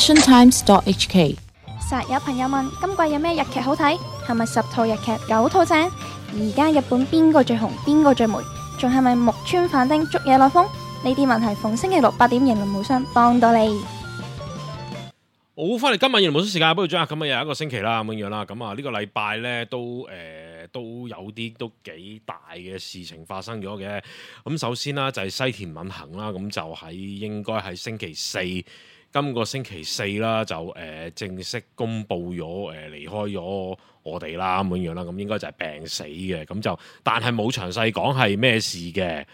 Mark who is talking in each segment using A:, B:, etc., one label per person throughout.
A: passiontimes.hk。
B: 實有朋友問今季有咩日劇好睇？係咪10套日劇9套正？而家日本邊個最紅？邊個最霉？仲係咪木村反町竹野內豐？呢啲問題逢星期六8點迎論無雙幫到你。
C: 好，翻嚟今日迎論無雙時間，不如將咁啊又一個星期啦咁樣啦。咁啊呢個禮拜咧都有啲都幾大嘅事情發生咗嘅。咁首先啦就係西田敏行啦，咁就應該喺星期四。今個星期四啦，就正式公布咗離開咗我哋啦咁樣啦，咁應該就係病死嘅，咁就但係冇詳細講係咩事嘅，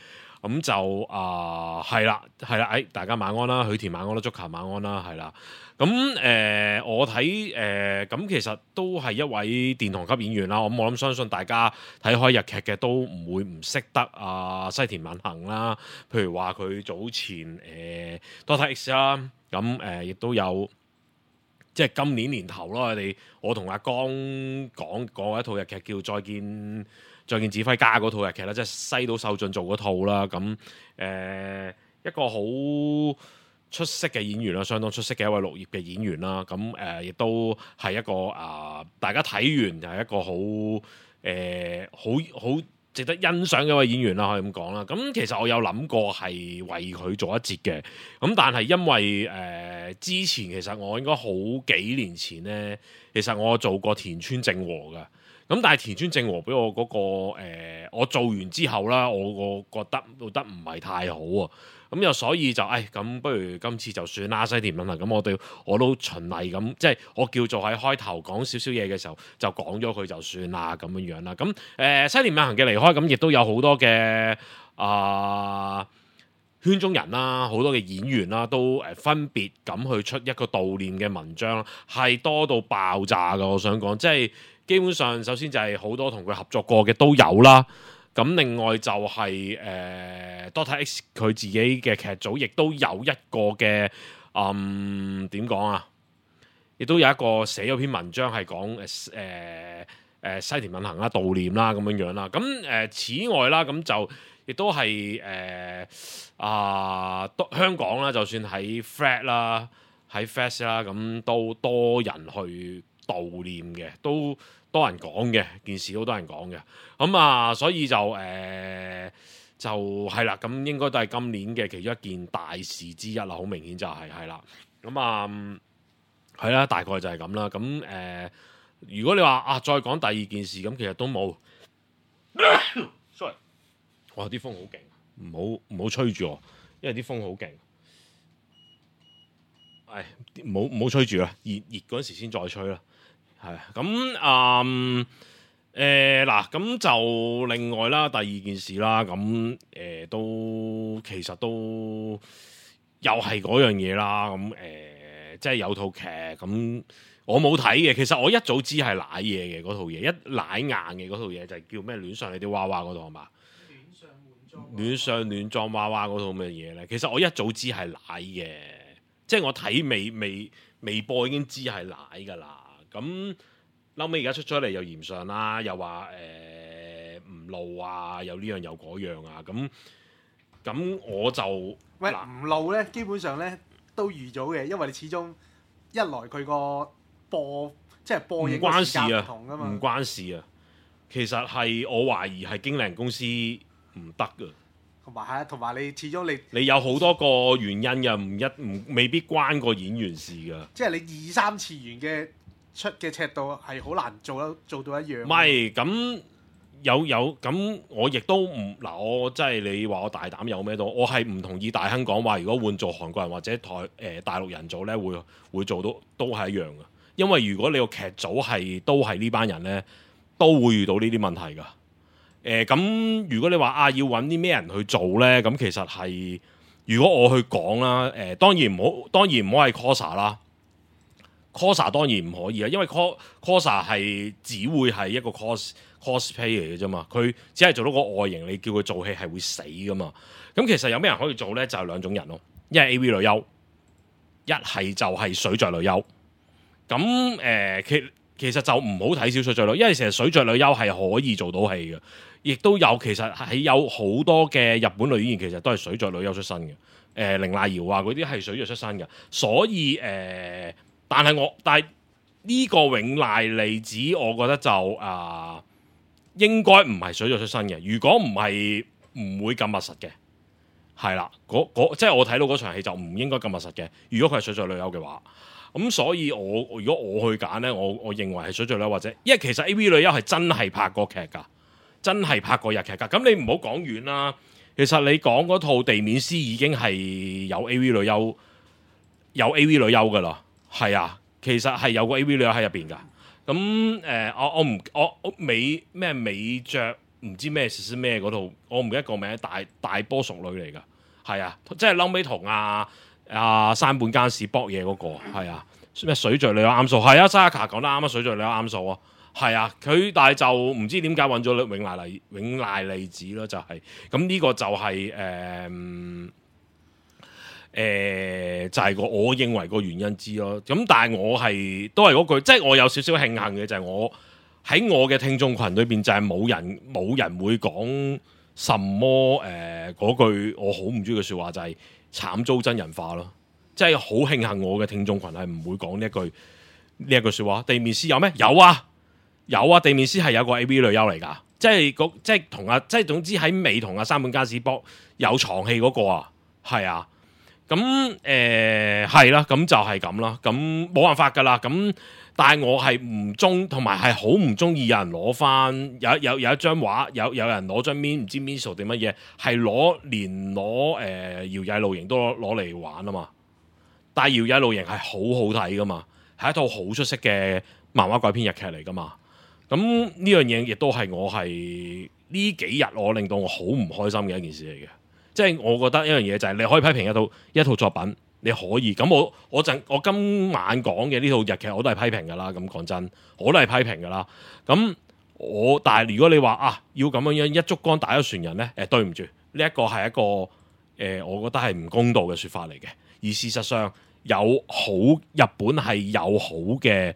C: 咁就係啦，大家晚安啦，許田晚安啦，足球晚安啦，係啦，咁我睇咁其實都係一位殿堂級演員啦，我諗相信大家睇開日劇嘅都唔會唔識得西田敏行啦，譬如話佢早前Dr. X 啦。咁亦都有，即係今年年頭咯。我同阿江講過一套日劇叫《再見指揮家》嗰套日劇啦，即係西島秀俊做嗰套啦。咁一個好出色嘅演員啦，相當出色嘅一位綠葉嘅演員啦。咁亦都係一個大家睇完就係一個好值得欣賞嘅一位演員啦，可以咁講啦。咁其實我有諗過係為佢做一節嘅，咁但係因為之前其實我應該好幾年前呢，其實我做過田村正和嘅。咁但係田村正和俾我嗰我做完之後啦，我覺得做得唔係太好啊。咁又所以就咁不如今次就算啦，西田敏行。咁我都循例咁，即係我叫做喺開頭講少少嘢嘅時候就講咗佢就算啦咁樣啦。咁西田敏行嘅離開，咁亦都有好多嘅圈中人啦，好多嘅演員啦，都分別咁去出一個悼念嘅文章，係多到爆炸㗎。我想講，即係基本上首先就係好多同佢合作過嘅都有啦。咁另外就係Dr. X 佢自己嘅劇組，亦都有一個嘅點講啊？亦都有一個寫咗篇文章係講西田敏行啦、悼念啦咁樣啦。咁此外啦，咁就亦都係香港啦，就算喺 Flat 啦、喺 Fest 啦，咁都多人去悼念嘅，都多人講嘅件事，好多人講嘅，咁所以就係啦，咁應該都係今年嘅其中一件大事之一啦，好明顯就係啦，咁係啦，大概就係咁啦，咁如果你話再講第二件事，咁其實都冇，sorry， 哇啲風好勁，唔好吹住我，因為啲風好勁，唔好吹住啦，熱嗰陣時先再吹啦。係咁嗱，咁就另外啦，第二件事啦，咁都其實都又係嗰樣嘢啦，咁即係有套劇咁，我冇睇嘅，其實我一早知係瀨嘢嘅嗰套嘢，一瀨硬嘅嗰套嘢就係叫咩？戀上你啲娃娃嗰套係嘛？戀上戀裝娃娃嗰套咩嘢咧？其實我一早知係瀨嘅，即係我睇微播已經知係瀨噶啦。咁後尾而家出咗嚟又嫌上啦，又話唔露啊，又呢樣又嗰樣啊，咁我就
D: 唔露咧，基本上咧都預咗嘅，因為你始終一來佢個播映嘅時間唔同㗎嘛，
C: 唔關事啊。其實係我懷疑係經理人公司唔得㗎。
D: 同埋你始終你
C: 有好多個原因嘅，未必關個演員事㗎。
D: 即係你2、3次元嘅出嘅尺度係好難做到一樣。
C: 唔係咁有咁，我亦都唔嗱，我真係你話我大膽有咩都，我係唔同意大亨講話，如果換做韓國人或者大陸人做咧，會做到都係一樣嘅。因為如果你個劇組都係呢班人咧，都會遇到呢啲問題㗎。咁如果你話要揾啲咩人去做咧，咁其實係如果我去講啦，當然唔好係 Cosa 啦。Cosa 當然唔可以啊，因為 Cosa 係只會係一個 cosplay 嚟嘅啫嘛，佢只係做到個外形，你叫佢做戲係會死噶嘛。咁其實有咩人可以做咧？就係兩種人咯，一係 AV 女優，一係就係水著女優。咁其實就唔好睇小水著女優，因為其實水著女優係可以做到戲嘅，亦都有其實係有好多嘅日本女演員其實都係水著女優出身嘅。綾瀨遙啊嗰啲係水著出身嘅，所以但係呢個永瀨利子，我覺得就應該唔係水著出身嘅。如果唔係，唔會咁密實嘅，係啦。即係我睇到嗰場戲就唔應該咁密實嘅。如果佢係水著女優嘅話，咁所以如果我去揀呢，我認為係水著女優或者，因為其實 AV 女優係真係拍過劇㗎，真係拍過日劇㗎。咁你唔好講遠啦。其實你講嗰套地面師已經係有 A.V. 女優，有 A.V. 女優噶啦，係啊，其實係有個 A.V. 女優喺入邊噶。咁我美着唔知咩事咩嗰套，我唔記得個名，大波熟女嚟噶，係啊，即係後尾同山本耕史搏嘢嗰個，係啊，咩水著女優啱數，係啊，Saka 講得啱啊，水著女優啱數啊。係啊，佢但係就唔知點解揾咗永瀨利子咯，就係咁呢個就係就係我認為個原因之咯。咁但係我係都係嗰句，即係我有少少慶幸嘅就係我喺我嘅聽眾群裏邊就係冇人會講什麼嗰句我好唔中意嘅説話，就係慘遭真人化咯。即係好慶幸我嘅聽眾群係唔會講呢一句説話。地面師有咩？有啊，地面師係有個 A.V. 女優嚟㗎，即係同即係總之喺尾同山本耕史博有床戲嗰個啊，係啊，咁係啦，咁就係咁啦，咁冇辦法㗎啦，咁但係我係唔中，同埋係好唔中意有人攞翻有一張畫，有人攞張面唔知 Miso 定乜嘢，係連攞搖曳露營都攞嚟玩啊嘛，但係搖曳露營係好好睇㗎嘛，係一套好出色嘅漫畫改編日劇嚟㗎嘛。咁呢樣嘢亦都係我係呢幾日我令到我好唔開心嘅一件事嚟嘅，即係我覺得一樣嘢就係你可以批評一套作品，你可以咁我今晚講嘅呢套日劇我都係批評㗎啦，咁講真我都係批評㗎啦。咁但係如果你話要咁樣一竹竿打一船人呢，對唔住，呢一個係一個我覺得係唔公道嘅説法嚟嘅。而事實上日本係有好嘅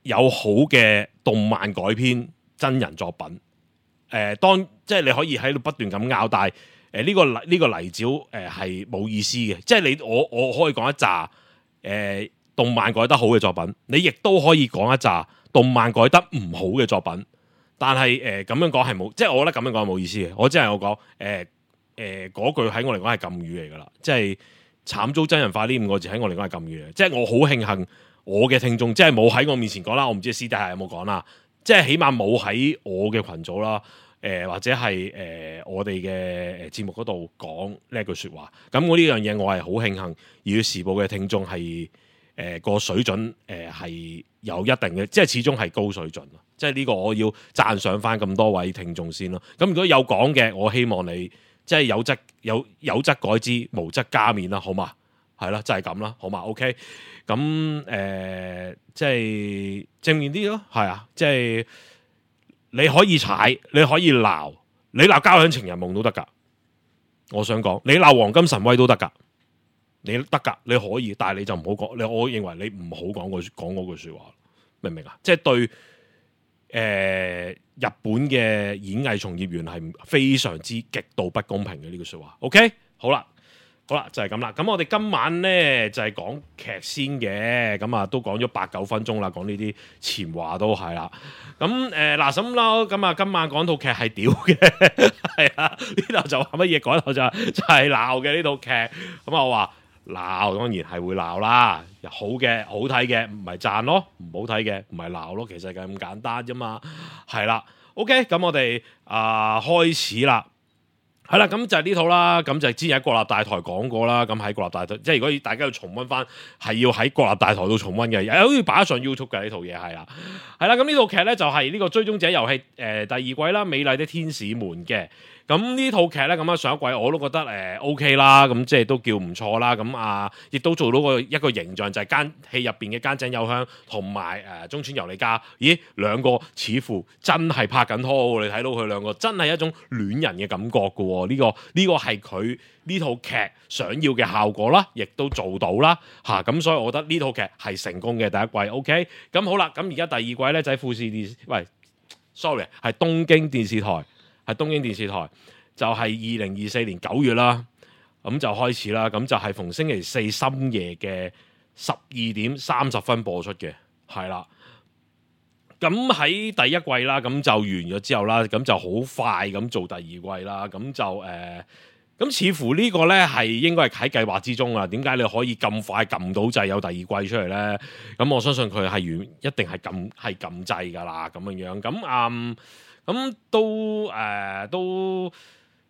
C: 有好嘅動漫改編真人作品，即係你可以喺度不斷咁拗，但係呢個泥沼係冇意思嘅，即係我可以講一紮動漫改得好嘅作品，你亦都可以講一紮動漫改得唔好嘅作品，但係咁樣講係冇，即係我覺得咁樣講係冇意思嘅。我只係我講嗰句喺我嚟講係禁語嚟㗎啦，即係慘遭真人化呢5個字喺我嚟講係禁語嚟，即係我好慶幸。我嘅聽眾即係冇喺我面前講啦，我唔知私底下有冇講啦，即係起碼冇喺我嘅群組啦，或者係我哋嘅節目嗰度講呢一句説話。咁我呢樣嘢我係好慶幸，而《時報》嘅聽眾係個水準係有一定嘅，即係始終係高水準咯。即係呢個我要讚賞翻咁多位聽眾先咯。咁如果有講嘅，我希望你即係有則改之，無則加勉啦，好嘛？係啦，就係咁啦，好嘛 ？OK， 咁即係正面啲咯，係啊，即係你可以踩，你可以鬧，你鬧交響情人夢都得噶。我想講，你鬧黃金神威都得噶，你得噶，你可以，但係你就唔好講。我認為你唔好講嗰句說話，明唔明啊？即係對日本嘅演藝從業員係非常之極度不公平嘅呢句說話。OK， 好啦，就係咁啦。咁我哋今晚咧就係講劇先嘅，咁都講咗8-9分鐘啦，講呢啲前話都係啦。咁嗱咁啦，咁今晚講套劇係屌嘅，係啊，呢度就話乜嘢？嗰度就係鬧嘅呢套劇。咁我話鬧當然係會鬧啦，好嘅好睇嘅唔係讚咯，唔好睇嘅唔係鬧咯，其實就咁簡單啫嘛。係啦，OK，咁我哋開始啦。係啦，咁就係呢套啦，咁就之前喺國立大台講過啦，咁喺國立大台，即係如果大家要重溫翻，係要喺國立大台度重溫嘅，好似擺上 YouTube 嘅呢套嘢係啦，係啦，咁呢套劇咧就係呢個追蹤者遊戲第2季啦，美麗的天使們嘅。咁呢套劇咧咁上一季我都覺得OK 啦，咁即係都叫唔錯啦，咁亦都做到一個形象，就係戲入邊嘅菅井友香同埋中村由里加，咦兩個似乎真係拍緊拖，你睇到佢兩個真係一種戀人嘅感覺嘅喎，呢個係佢呢套劇想要嘅效果啦，亦都做到啦嚇，咁所以我覺得呢套劇係成功嘅第一季 OK， 咁好啦，咁而家第2季咧就喺富士電視，係東京電視台。係東京電視台就係2024年9月啦，咁就開始啦，咁就係逢星期四深夜嘅12:30播出嘅，係啦。咁喺第一季啦，咁就完咗之後啦，咁就好快咁做第二季啦，咁就咁似乎呢個呢係應該係喺計劃之中啦。點解你可以咁快撳到掣有第二季出嚟呢？咁我相信佢係一定係撳掣㗎啦，咁樣咁咁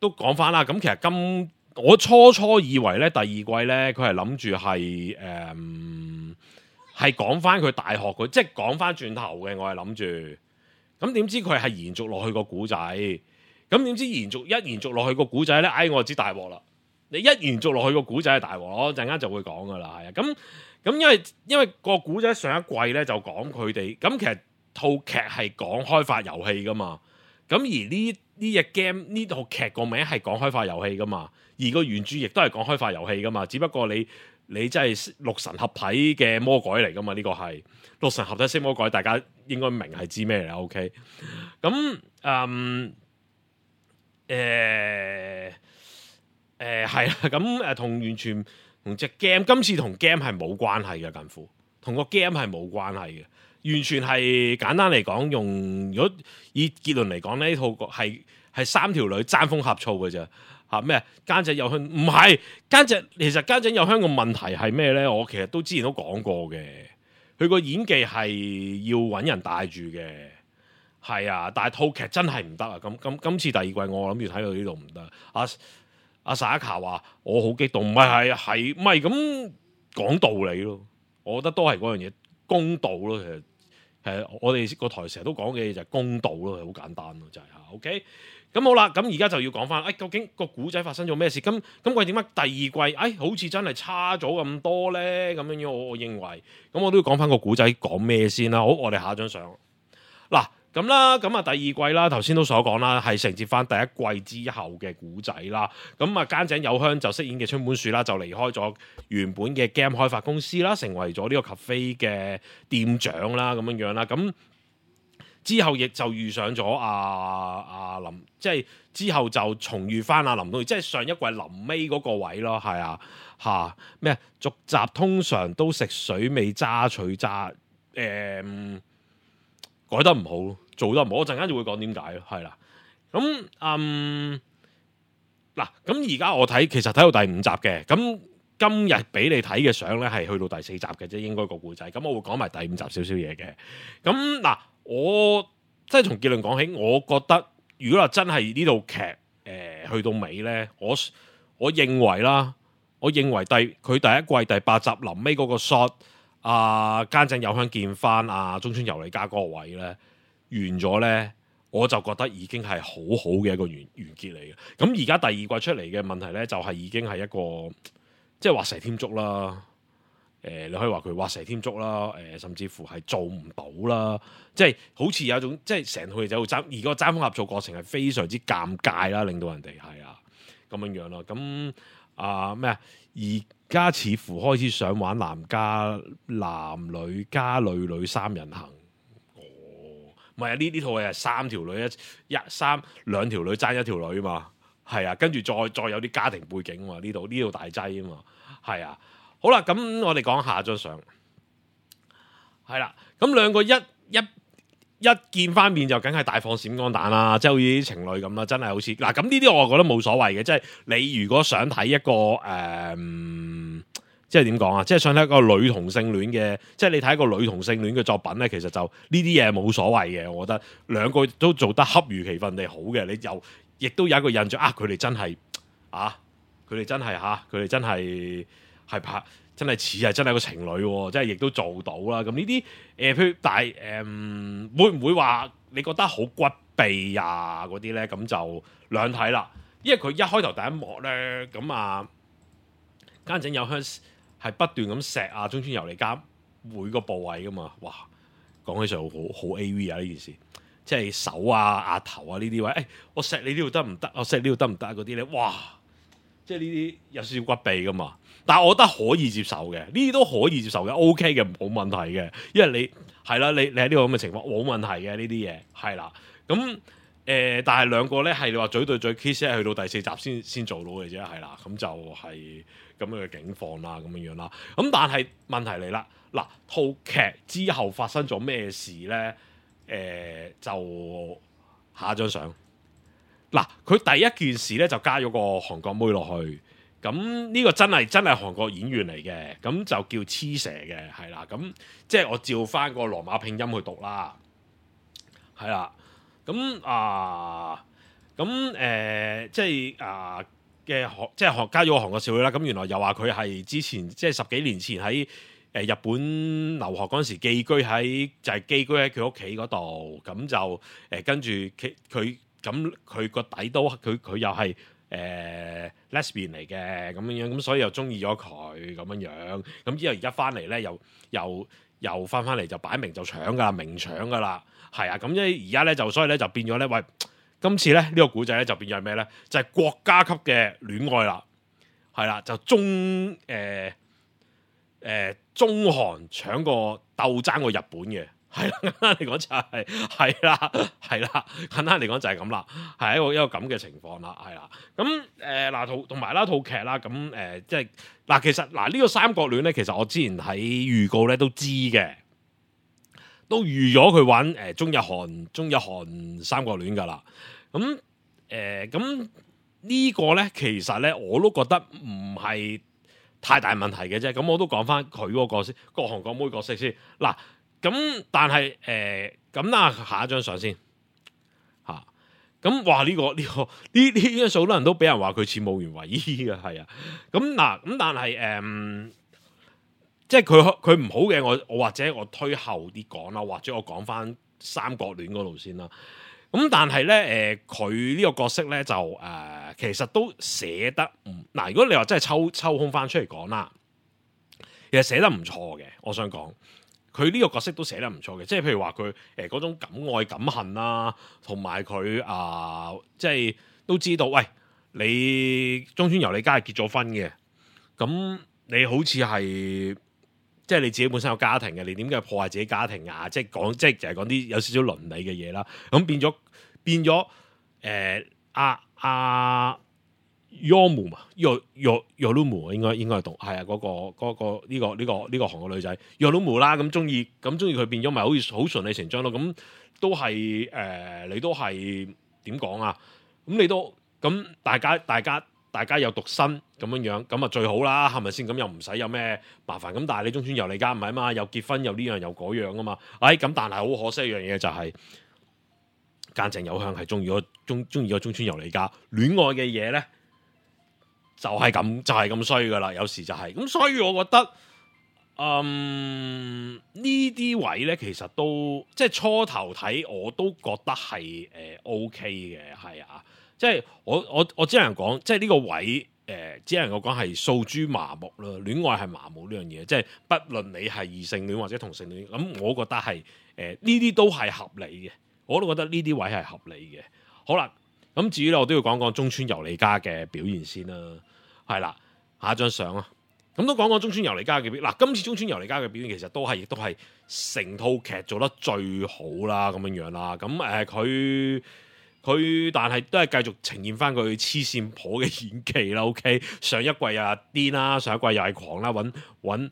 C: 都講翻啦。咁其實我初以為呢第二季呢，佢係諗住係講翻佢大學佢，即係講翻轉頭嘅。我係諗住，咁點知佢係延續落去個古仔，咁點知延續落去個古仔咧？我就知大鑊啦！你一延續落去個古仔係大鑊，我陣間就會講噶啦，係啊。咁因為個古仔上一季咧就講佢哋，咁其實套劇係講開發遊戲噶嘛，咁而呢隻 game 呢套劇個名係講開發遊戲噶嘛，而個原著亦都係講開發遊戲噶嘛，只不過你真係六神合體嘅魔改嚟噶嘛？呢個係六神合體式魔改，大家應該明係知咩嚟啦。OK， 咁係啦，咁同完全同隻 game， 今次同 game 係冇關係嘅，近乎同個 game 係冇關係嘅，完全係簡單嚟講，如果以結論嚟講呢套係三條女爭風呷醋嘅啫。咩奸仔有香唔係奸仔，其實奸仔有香個問題係咩咧？我其實之前都講過嘅，佢個演技係要揾人帶住嘅，係啊，但係套劇真係唔得啊！咁今次第二季我諗住睇到呢度唔得。阿薩卡話我好激動，唔係咁講道理咯，我覺得都係嗰樣嘢公道咯。其實我哋個台成日都講嘅嘢就係公道咯，係好簡單咯，就係OK。咁好啦，咁而家就要講翻，究竟個古仔發生咗咩事？咁佢點解第二季，好似真係差咗咁多呢？咁樣我認為，咁我都要講翻個古仔講咩先啦。好，我哋下一張相。嗱，咁啦，咁啊第二季啦，頭先都所講啦，係承接翻第一季之後嘅古仔啦。咁啊菅井友香就飾演嘅春本樹啦，就離開咗原本嘅 game 開發公司啦，成為咗呢個 cafe 嘅店長啦，咁樣啦，咁。之後亦就遇上咗阿林，即係之後就重遇翻阿林東，即係上一季臨尾嗰個位咯，係啊咩續集通常都食水味渣取渣，改得唔好，做得唔好，我陣間就會講點解咯，係啦，咁嗱，咁而家我睇其實睇到第5集嘅，咁今日俾你睇嘅相咧係去到第4集嘅啫，應該個故仔，咁我會講埋第5集少少嘢嘅，咁嗱。我即係從結論講起，我覺得如果話真係呢套劇去到尾咧，我認為啦，佢第一季第8集臨尾嗰個 shot，菅井友香見翻中村由里加嗰個位咧完咗咧，我就覺得已經係好好嘅一個完結嚟嘅。咁而家第二季出嚟嘅問題咧，就係已經係一個即係畫蛇添足啦。你可以話佢畫蛇添足啦，甚至乎係做唔到啦，即係好似有一種即係成套嘢就爭，而個爭風呷醋過程係非常之尷尬啦，令到人哋係咁樣咯。咁咩啊？而家似乎開始想玩男女加女三人行，唔係啊！呢套嘢係3條女兩條女爭1條女嘛，係啊，跟住再有啲家庭背景嘛，呢度大劑啊嘛，係啊。好啦，咁我哋講下張相，係啦，咁兩個一見翻面就梗係大放閃光彈啦，即係好似啲情侶咁啦，真係好似嗱，咁呢啲我覺得冇所謂嘅，即係你如果想睇一個即係點講啊，即係想睇一個女同性戀嘅，即係你睇一個女同性戀嘅作品咧，其實就呢啲嘢冇所謂嘅，我覺得兩個都做得恰如其分地好嘅，你又亦都有一個印象佢哋真係係拍真係似係真係個情侶喎，即係亦都做到啦。咁呢啲譬如但係會唔會話你覺得好骨痹啊嗰啲咧？咁就兩睇啦。因為佢一開頭第一幕咧，咁菅井友香係不斷咁錫中村由里加每個部位噶嘛。哇，講起上好 AV 啊呢件事，即係手額頭呢啲位，我錫你呢度得唔得？我錫呢度得唔得嗰啲咧？哇！即係呢啲有少少骨痹噶嘛，但係我覺得可以接受嘅，呢啲都可以接受嘅 ，OK 嘅，冇問題嘅，因為你係啦，你喺呢個咁嘅情況冇問題嘅呢啲嘢係啦，咁但係兩個咧係你話嘴對嘴 kiss 係去到第4集先做到嘅啫，係啦，咁就係咁樣嘅境況啦，咁樣啦。咁但係問題嚟啦，嗱套劇之後發生咗咩事咧？就下一張相。嗱，佢第一件事咧就加咗個韓國妹落去，咁呢個真係韓國演員嚟嘅，咁就叫黐蛇嘅，係啦，咁即係我照翻個羅馬拼音去讀啦，係啦。咁即係即係加咗個韓國少女啦。咁原來又話佢係之前即係10幾年前喺日本留學嗰陣時寄居喺佢屋企嗰度。咁就跟住佢個底都佢又係lesbian 嚟嘅咁樣，咁所以又中意咗佢咁樣。咁之後而家翻嚟咧又翻嚟就擺明就搶㗎啦，明搶㗎啦。係啊，咁而家咧所以咧就變咗咧，喂，今次咧呢個古仔咧就變咗係咩咧？就係國家級嘅戀愛啦，係啦，就中韓搶過鬥爭過日本嘅，係啦，簡單嚟講就係啦，簡單嚟講就係咁啦，係一個咁嘅情況啦，係啦，咁同埋啦套劇啦，咁即係嗱，其實嗱呢個三角戀咧，其實我之前喺預告咧都知嘅。都預咗佢玩中日韓三角戀㗎啦，咁呢個咧其實咧我都覺得唔係太大問題嘅啫，咁我都講翻佢嗰個角色，個韓國妹角色先嗱，咁但係下一張相先嚇，咁哇呢張數好多人都俾人話佢似武原唯衣嘅，係啊，咁但係即係佢唔好嘅，我或者我推後啲講啦，或者我講翻三角戀嗰度先啦。咁但係咧佢呢個角色咧就其實都寫得嗱，如果你話真係抽空翻出嚟講啦，其實寫得唔錯嘅。我想講佢呢個角色都寫得唔錯嘅，即係譬如話佢嗰種敢愛敢恨啦，同埋佢即係都知道，喂，你中村由里佳係結咗婚嘅，咁你好似係。即係你自己本身有家庭嘅，你點解破壞自己家庭啊？即係就係講啲有少少倫理嘅嘢啦。咁變咗Yomu 嘛，Yorumu 應該係讀係啊，嗰個呢個韓國女仔 Yorumu 啦。咁中意佢變咗，咪好似好順理成章咯。咁都係你都係點講啊？咁你都咁大家有獨身咁樣，咁啊最好啦，係咪先？咁又唔使有咩麻煩。咁但係你中村由里佳唔係啊嘛，又結婚又呢樣又嗰樣啊嘛。咁但係好可惜一樣嘢就係間正有香係中意咗中村由里佳，戀愛嘅嘢咧就係咁衰噶啦，有時就係咁。所以我覺得呢啲位咧其實都即係初頭睇我都覺得係OK 嘅，係啊。即係我只能講，即係呢個位只能夠講係訴諸麻木啦。戀愛係麻木呢樣嘢，即係不論你係異性戀或者同性戀，咁我覺得係呢啲都係合理嘅。我都覺得呢啲位係合理嘅。好啦，咁至於咧，我都要講講中村由里佳嘅表現先啦。係啦，下一張相啊，咁都講講中村由里佳嘅表現。嗱，今次中村由里佳嘅表現其實亦都係成套劇做得最好啦，咁樣啦。咁佢但係都係繼續呈現翻佢黐線婆嘅演技啦。OK， 上一季又癲啦，上一季又係狂啦，揾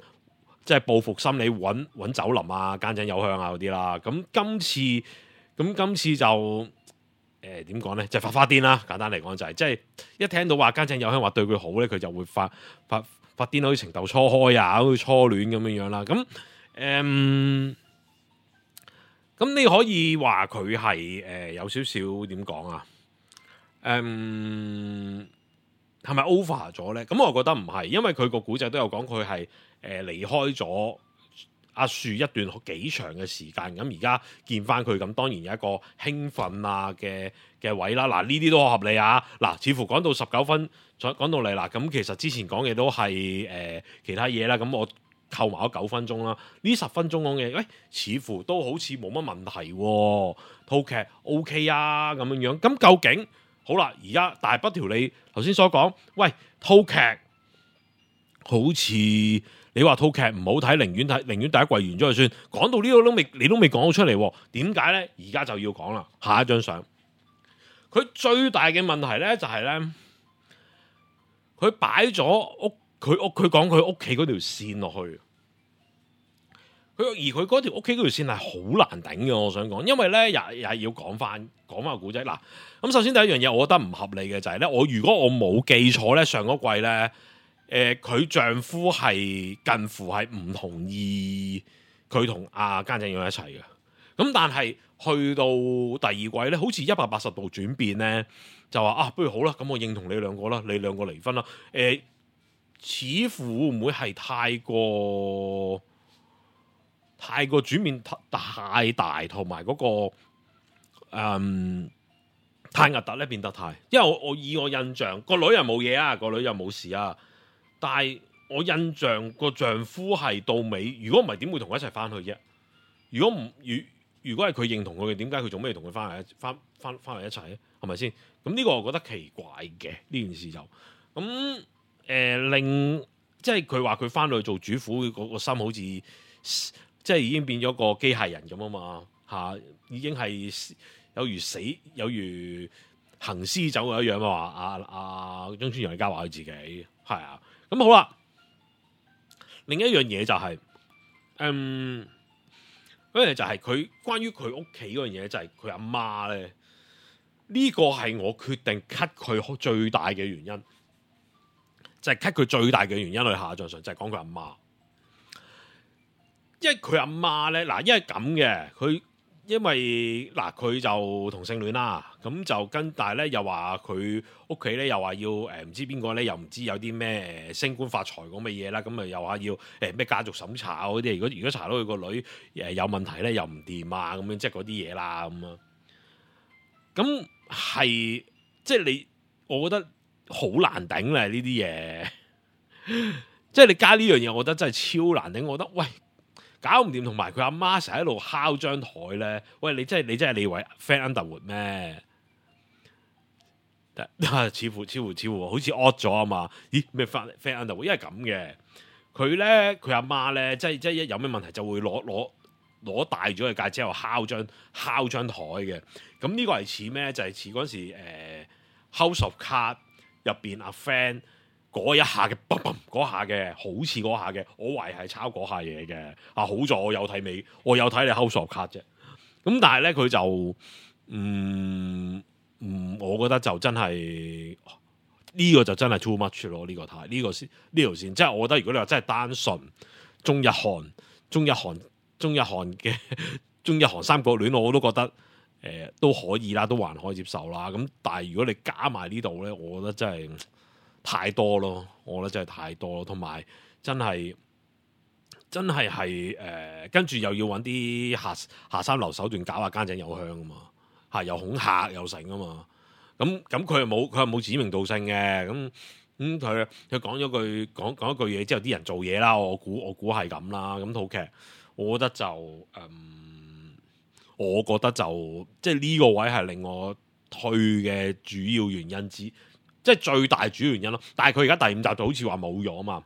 C: 即係報復心理，揾酒林啊、間井有香啊嗰啲啦。咁今次就點講咧？就發花癲啦。簡單嚟講就係即係一聽到話間井有香話對佢好咧，佢就會發癲，好似情竇初開啊，好似初戀咁樣啦。咁你可以話佢係有少少點講啊？係咪 over 咗咧？咁我覺得唔係，因為佢個古仔都有講佢係離開咗阿樹一段幾長嘅時間。咁而家見翻佢，咁當然有一個興奮啊嘅位啦。嗱，呢啲都好合理啊。嗱，似乎講到19分，講到嚟啦。咁其實之前講嘅都係其他嘢啦。咁我扣埋咗9分鐘啦，呢10分鐘講嘅，似乎都好似冇乜問題喎，套劇 OK 啊咁樣。咁究竟好啦，而家大不條你頭先所講，喂，套劇好似你話套劇唔好睇，寧願第一季完咗就算。講到呢個你都未講到出嚟，點解咧？而家就要講啦，下一張相。佢最大嘅問題咧就係咧，佢擺咗佢講佢屋企嗰條線落去。而佢嗰條屋企嗰條線係好難頂嘅，我想講，因為咧又係要講翻個古仔嗱。咁首先第一樣嘢，我覺得唔合理嘅就係咧，如果我冇記錯咧，上嗰季咧，佢丈夫係近乎係唔同意佢同阿菅井勇一齊嘅。咁但係去到第二季咧，好似180度轉變咧，就話不如好啦，咁我認同你兩個啦，你兩個離婚啦。似乎會唔會係太過轉變太大，同埋嗰個太核突咧，變得太。因為我以我印象，個女又冇嘢啊，個女又冇事啊。但係我印象個丈夫係到尾，如果唔係點會同佢一齊翻去啫？如果係佢認同佢嘅，點解佢做咩同佢翻嚟一齊咧？係咪先？咁呢個我覺得奇怪嘅呢件事就咁令即係佢話佢翻去做主婦，個心好似即係已經變咗個機械人咁啊嘛嚇，已經係有如行屍走肉一樣啊！話中村洋一家話佢自己係啊，咁好啦。另一樣嘢就係嗰樣就係佢關於佢屋企嗰樣嘢，就係佢阿媽咧。呢個係我決定 cut 佢最大嘅原因，就係 cut 佢最大嘅原因去下載上，就係講佢阿媽。因為佢阿媽咧，嗱，因為咁嘅，因為佢就同性戀啦，咁就但係咧又話佢屋企咧又話要唔知邊個咧，又唔知有啲咩升官發財咁嘅嘢啦，咁啊又話要咩家族審查嗰啲，如果查到佢個女有問題咧，又唔掂啊，咁樣即係嗰啲嘢啦，咁啊，咁係即係我覺得好難頂咧呢啲嘢，即係你加呢樣嘢，我覺得真係超難頂，我覺得喂。搞唔掂，同埋佢阿媽成日喺度敲張台咧。喂，你真係你以為 Fan Underwood 咩？似乎好似 odd 咗啊嘛？咦咩 Fan Underwood？因為咁嘅，佢阿媽咧，即係一有咩問題就會攞大咗嘅戒指，之後敲張台嘅。咁呢個係似咩？就係似嗰時House of Cards入邊阿 Fan。嗰一下嘅嗰下嘅，好似嗰下嘅，我懷疑係抄嗰下嘢嘅。好在我有睇你 House of Cards啫。咁但係咧，佢就我覺得就真係呢個就真係 too much 咯。呢個條線，即係我覺得如果你話真係單純中日韓嘅中日韓三角戀，我都覺得都可以啦，都還可以接受啦。咁但係如果你加埋呢度咧，我覺得真係太多咯，我覺得真係太多咯，同埋真係跟住又要揾啲下三流手段搞下菅井友香啊嘛，又恐嚇又成啊嘛，咁佢又冇指名道姓嘅，咁佢講一句嘢之後，啲人做嘢啦，我估係咁啦，咁套劇我覺得就即係呢個位係令我退嘅主要原因之。即係最大主要原因咯，但係佢而家第5集就好似話冇咗啊嘛，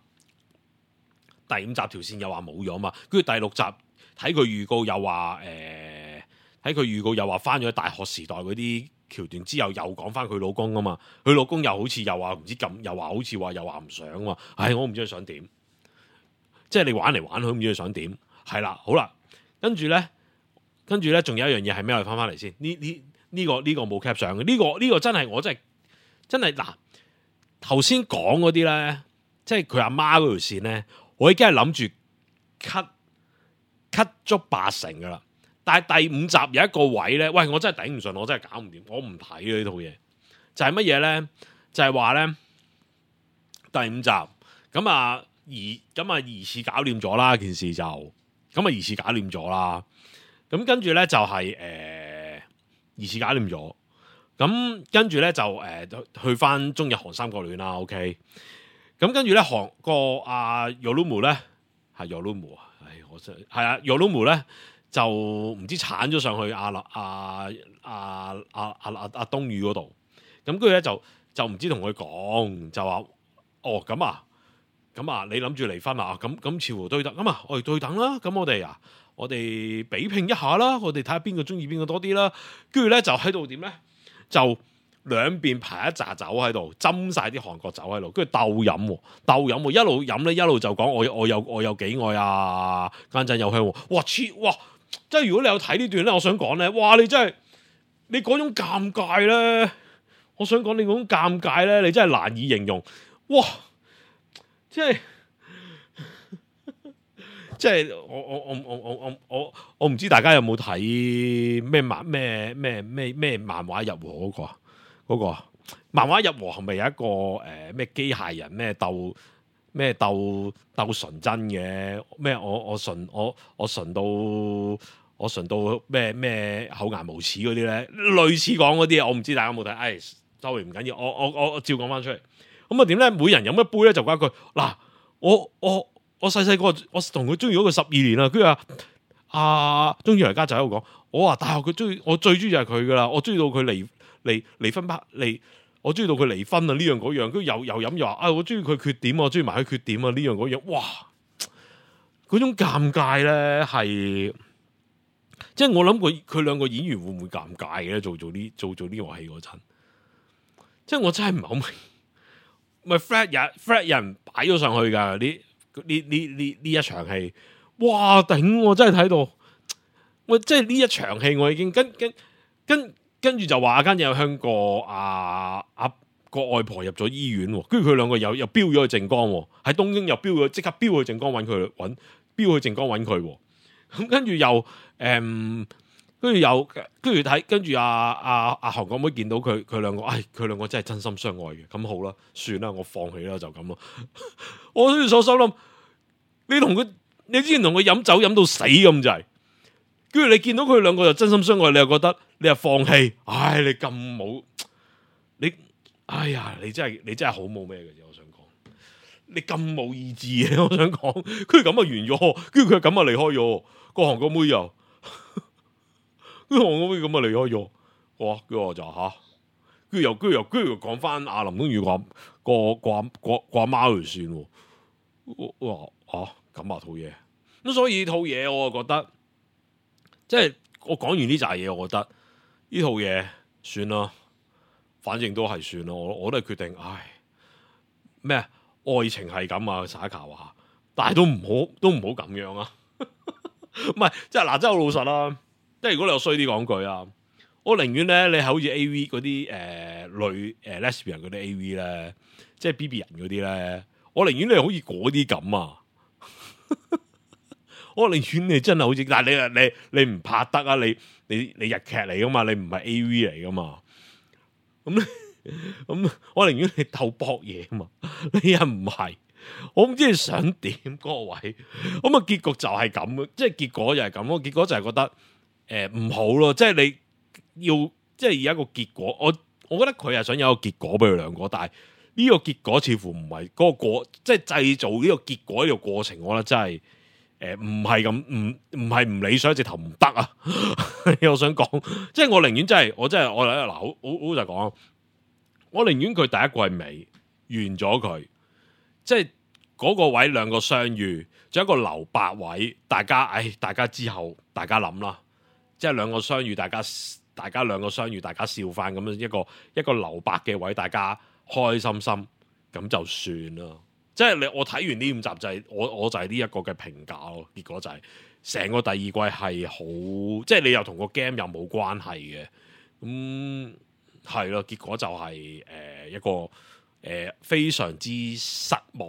C: 第5集條線又話冇咗啊嘛，跟住第6集睇佢預告又話翻咗去大學時代嗰啲橋段之後，又講翻佢老公啊嘛，佢老公又好似又話唔知咁，又話好似話又話唔想啊嘛，我唔知佢想點，即係你玩嚟玩去唔知佢想點，係啦，好啦，跟住咧，仲有一樣嘢係咩？我哋翻嚟先，呢個冇 cap 上嘅，呢個真係我真係嗱，頭先講嗰啲咧，即係佢阿媽嗰條線咧，我已經係諗住 cut 足80%噶啦。但係第5集有一個位咧，喂，我真係頂唔順，我真係搞唔掂，我唔睇啊呢套嘢。就係乜嘢咧？就係話咧，第5集咁啊疑似搞掂咗啦，件事就咁啊疑似搞掂咗啦。咁跟住咧就係疑似搞掂咗。咁跟住咧就去翻中日韓三角戀啦 ，OK。咁跟住咧韓個阿 Yorumu 咧係 Yorumu 啊，我真係啊 Yorumu 咧就唔知鏟咗上去阿東宇嗰度。咁跟住咧就唔知同佢講，就話咁啊，你諗住離婚啊？咁似乎對等咁啊，我哋對等啦。咁我哋比拼一下啦，我哋睇下邊個中意邊個多啲啦。跟住咧就喺度點咧？就兩邊排一紮酒喺度，斟晒啲韓國酒喺度，跟住鬥飲，一路飲咧一路就講我有幾愛啊，間陣有香喎，哇！即係如果你有睇呢段咧，我想講咧，哇！你真係你嗰種尷尬咧，我想講你嗰種尷尬咧，你真係難以形容，哇！即係我唔知大家有冇睇咩漫畫入和嗰個漫畫入和係咪有一個咩機械人咩鬥純真嘅咩我純到咩厚顏無恥嗰啲咧，類似講嗰啲我唔知大家有冇睇，sorry唔緊要，我照講翻出嚟。咁啊點咧？每人飲一杯咧就講一句嗱，我細個我同佢中意咗佢12年啦，跟住鍾意嚟家就喺度講，我話大學我最中意就係佢噶啦，我中意到佢離婚我中意到佢離婚啊呢樣嗰樣，跟住又飲又話我中意佢缺點，我中意埋佢缺點啊呢樣嗰樣，哇！嗰種尷尬咧係，即係我諗佢兩個演員會唔會尷尬嘅咧？做呢個戲嗰陣，即係我真係唔係好明，咪 Fred 人擺咗上去噶呢一場戲，哇頂！我真係睇到，喂，即係呢一場戲我已經跟住就話阿間有香個個外婆入咗醫院，跟住佢兩個又飆咗去靜江，喺東京又即刻飆去靜江飆去靜江揾佢，咁跟住又跟住阿韓國妹見到佢兩個，佢兩個真係真心相愛嘅，咁好啦，算啦，我放棄啦，就咁咯。我都所心諗，你之前同佢飲酒飲到死咁滯，跟住你見到佢兩個就真心相愛，你又覺得你又放棄，你咁冇你，哎呀，你真係好冇咩嘅啫，我想講，你咁冇意志嘅，我想講，佢咁啊完咗，跟住佢咁啊離開咗，個韓國妹又，跟住韓國妹咁啊離開咗，哇，跟住我就跟住又講翻阿林東宇個阿媽嚟算，我話咁啊套嘢，咁所以套嘢我就覺得，即係我講完呢扎嘢，我覺得呢套嘢算啦，反正都係算啦，我都係決定，咩愛情係咁啊，撒卡話，但係都唔好咁樣啊，唔係即係嗱，真係好老實啦，即係如果你有衰啲講句啊，我寧願咧你係好似 A.V. 嗰啲女lesbian 嗰啲 A.V. 咧，即係 B.B. 人嗰啲咧，我寧願你好似嗰啲咁啊。我寧願你真係好似，但係你唔拍得啊！你日劇嚟噶嘛，你唔係 A.V. 嚟噶嘛？咁我寧願你鬥搏嘢啊嘛！你又唔係，我唔知你想點嗰個位。咁啊，結局就係咁，即係結果就係咁咯。結果就係覺得唔好咯，即係你要即係有一個結果。我覺得佢係想有一個結果俾佢兩個，但係呢個結果似乎唔係嗰個過，即係製造呢個結果呢個過程，我覺得真係唔係咁，唔係唔理想，直頭唔得啊！我想講，即係我寧願真係，我嗱好就講，我寧願佢第一季尾完咗佢，即係嗰個位兩個相遇，仲有一個留白位，大家之後大家諗啦，即係兩個相遇，大家兩個相遇，大家笑翻咁樣一個留白嘅位，大家開心心咁就算啦。即係我睇完呢5集就係我就係呢一個嘅評價咯。結果就係成個第二季係好，即係你又同個 game 又冇關係嘅，咁係咯。結果就係一個非常之失望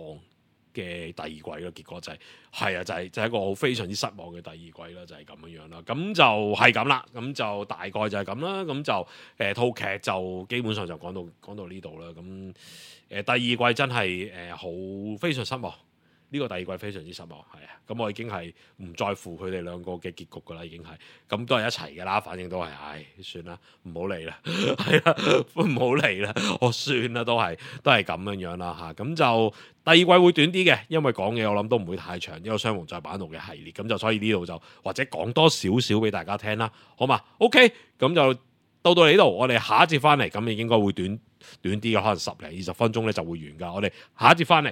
C: 嘅第二季咯。結果就係一個好非常之失望嘅第二季啦，就係咁樣樣啦。咁就係咁啦，咁就大概就係咁啦。咁就套劇就基本上就講到呢度啦。咁第二季真係好非常失望，呢個第二季非常之失望，係啊。咁我已經係唔在乎佢哋兩個嘅結局噶啦，已經係咁都係一齊噶啦，反正都係，算啦，唔好理啦，係啦，唔好理啦，我算啦，都係咁樣樣啦嚇。咁就第二季會短啲嘅，因為講嘢我諗都唔會太長，呢個雙雄再版圖嘅系列，咁就所以呢度就或者講多少少俾大家聽啦，好嘛 ？OK，咁就到呢度，我哋下一節翻嚟，咁應該會短啲嘅，可能10-20分鐘咧就會完噶。我哋下一節翻嚟。